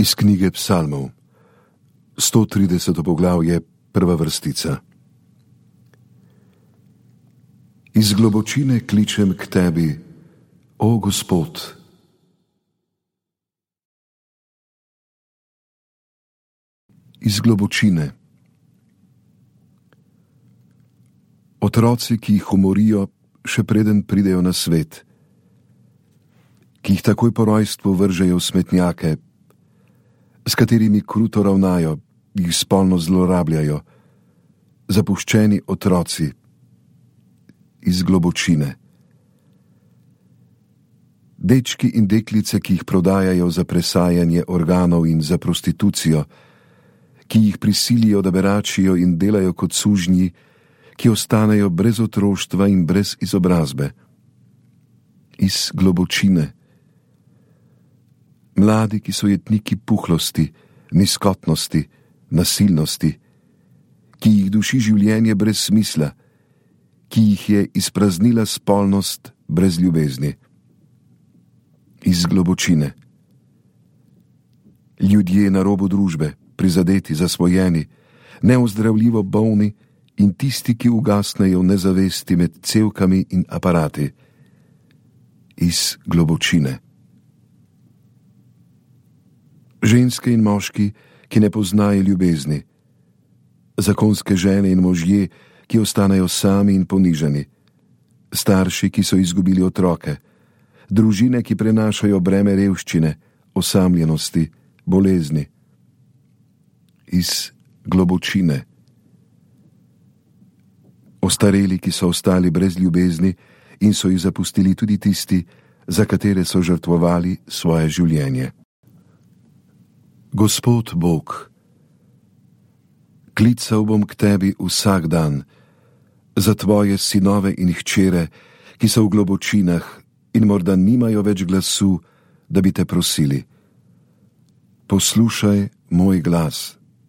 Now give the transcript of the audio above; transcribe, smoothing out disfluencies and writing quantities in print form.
Iz knjige Psalmov, 130. poglavje, prva vrstica. Iz globočine kličem k tebi, o Gospod. Iz globočine. Otroci, ki jih umorijo, še preden pridejo na svet, ki jih takoj po rojstvu vržejo v smetnjake, s katerimi kruto ravnajo, jih spolno zlorabljajo, zapuščeni otroci iz globočine. Dečki in deklice, ki jih prodajajo za presajanje organov in za prostitucijo, ki jih prisilijo, da beračijo in delajo kot sužnji, ki ostanejo brez otroštva in brez izobrazbe. Iz globočine. Mladi, ki so jetniki puhlosti, nizkotnosti, nasilnosti, ki jih duši življenje brez smisla, ki jih je izpraznila spolnost brez ljubezni. Iz globočine. Ljudje na robu družbe, prizadeti, zasvojeni, neozdravljivo bolni in tisti, ki ugasnejo v nezavesti med cevkami in aparati. Iz globočine. Ženske in moški, ki ne poznajo ljubezni, zakonske žene in možje, ki ostanejo sami in ponižani, starši, ki so izgubili otroke, družine, ki prenašajo breme revščine, osamljenosti, bolezni. Iz globočine. Ostareli, ki so ostali brez ljubezni in so jih zapustili tudi tisti, za katere so žrtvovali svoje življenje. Gospod Bog, klical bom k tebi vsak dan, za tvoje sinove in hčere, ki so v globočinah in morda nimajo več glasu, da bi te prosili. Poslušaj moj glas.